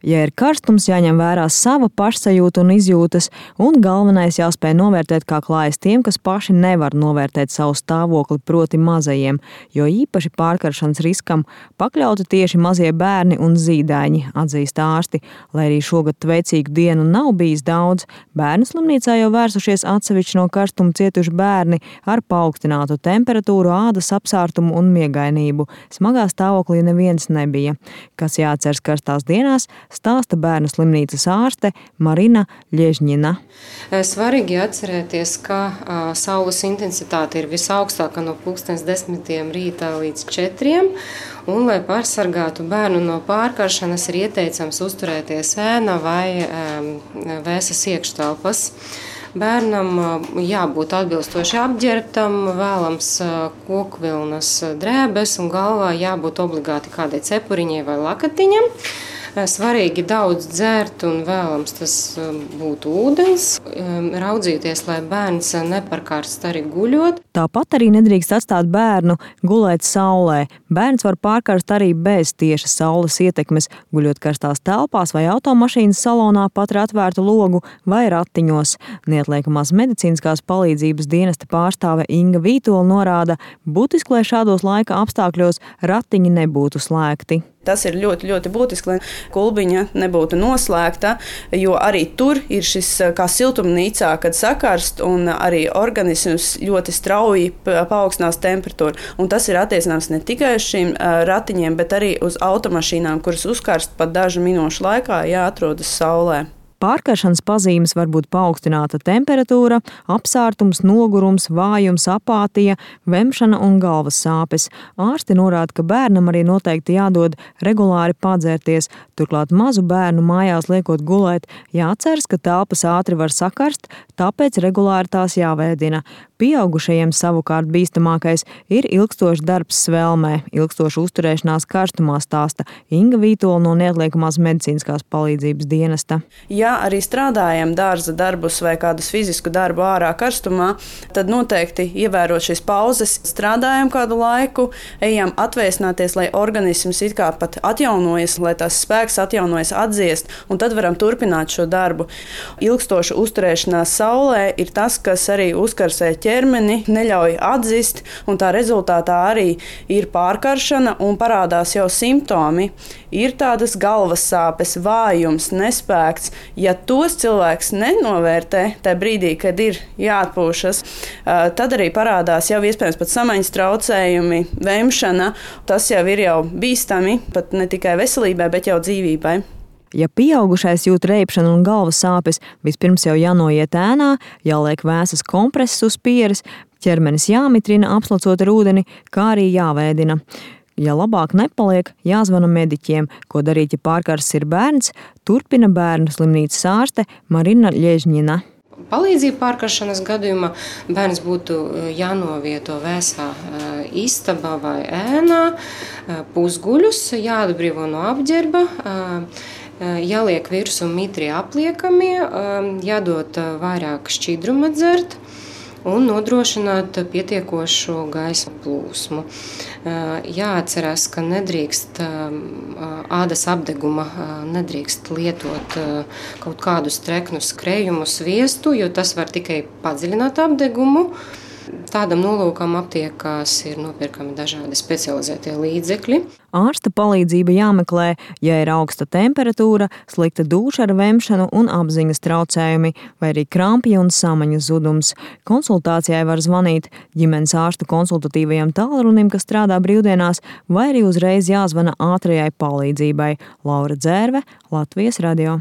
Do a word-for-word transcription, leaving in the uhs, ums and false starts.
Ja ir karstums, jāņem vērā sava pašsajūta un izjūtas, un galvenais jāspēj novērtēt, kā klājas tiem, kas paši nevar novērtēt savu stāvokli, proti mazajiem, jo īpaši pārkaršanas riskam pakļauti tieši mazie bērni un zīdaiņi, atzīst ārsti. Lai arī šogad veicīgu dienu nav bijis daudz, bērnu slimnīcā jau vērsušies atsevišķi no karstuma cietuši bērni ar paaugstinātu temperatūru, ādas apsārtumu un miegainību. Smagā stāvoklī neviens nebija. Kas jāatceras karstās dienās, stāsta bērnu slimnīcas ārste Marina Ļežņina. Svarīgi atcerēties, ka a, saules intensitāte ir visaugstākā no pulkstens desmitiem rītā līdz četriem, un, lai pārsargātu bērnu no pārkaršanas, ir ieteicams uzturēties ēna vai um, vēsas iekštelpas. Bērnam jābūt atbilstoši apģērbtam, vēlams kokvilnas drēbes un galvā jābūt obligāti kādai cepuriņai vai lakatiņam. Svarīgi daudz dzert un vēlams tas būtu ūdens, raudzīties, lai bērns neparkarst arī guļot. Tāpat arī nedrīkst atstāt bērnu gulēt saulē. Bērns var pārkarst arī bez tieša saules ietekmes, guļot karstās telpās vai automašīnas salonā pat ar atvērtu logu vai ratiņos. Neatliekamās medicīniskās palīdzības dienesta pārstāve Inga Vītola norāda, būtiski, lai šādos laika apstākļos ratiņi nebūtu slēgti. Tas ir ļoti, ļoti būtiski, lai kulbiņa nebūtu noslēgta, jo arī tur ir šis kā siltumnīcā, kad sakarst un arī organisms ļoti strauji paaugstinās temperatūru. Un tas ir attiecināms ne tikai uz šīm ratiņiem, bet arī uz automašīnām, kuras uzkarst pat dažu minūšu laikā, ja atrodas saulē. Pārkaršanas pazīmes var būt paaugstināta temperatūra, apsārtums, nogurums, vājums, apātija, vemšana un galvas sāpes. Ārsti norāda, ka bērnam arī noteikti jādod regulāri padzērties, turklāt mazu bērnu mājās liekot gulēt, jāatceras, ka telpas ātri var sakarst, tāpēc regulāri tās jāvēdina. Pieaugušajiem savukārt bīstamākais ir ilgstošs darbs svelmē, ilgstoša uzturēšanās karstumā, stāsta Inga Vītola no Neatliekamās medicīniskās palīdzības dienesta. Ja arī strādājam dārza darbus vai kādus fizisku darbu ārā karstumā, tad noteikti ievērot šīs pauzes, strādājam kādu laiku, ejam atvēsināties, lai organisms it kā pat atjaunojas, lai tās spēks atjaunojas, atdziest, un tad varam turpināt šo darbu. Ilgstoša uzturēšanās saulē ir tas, kas arī uzkarsē ķermeni, neļauj atzist, un tā rezultātā arī ir pārkaršana un parādās jau simptomi. Ir tādas galvas sāpes, vājums, nespēks. Ja tos cilvēks nenovērtē tajā brīdī, kad ir jāatpūšas, tad arī parādās jau iespējams pat samaņas traucējumi, vemšana. Tas jau ir jau bīstami, pat ne tikai veselībai, bet jau dzīvībai. Ja pieaugušais jūt reibšanu un galvas sāpes, vispirms jau jānoiet ēnā, jāliek vēsas kompreses uz pieres, ķermenis jāmitrina, apslacot ar ūdeni, kā arī jāvēdina. Ja labāk nepaliek, jāzvana mediķiem, ko darīt, ja pārkarsts ir bērns, turpina bērnu slimnīcas ārste Marina Ļežņina. Palīdzību pārkaršanas gadījumā bērns būtu jānovieto vēsā istabā vai ēnā, pusguļus, jāatbrīvo no apģērba, jāliek virsū mitri apliekamie, jādod vairāk šķidruma dzert un nodrošināt pietiekošu gaisa plūsmu. Jāatcerās, ka nedrīkst ādas apdeguma, nedrīkst lietot kaut kādus treknus krējumus, sviestu, jo tas var tikai padziļināt apdegumu. Tādam nolūkam aptiekās ir nopirkami dažādi specializētie līdzekļi. Ārsta palīdzība jāmeklē, ja ir augsta temperatūra, slikta dūša ar vemšanu un apziņas traucējumi, vai arī krampji un samaņu zudums. Konsultācijai var zvanīt ģimenes ārsta konsultatīvajam tālrunim, kas strādā brīvdienās, vai arī uzreiz jāzvana ātrajai palīdzībai. Laura Dzērve, Latvijas radio.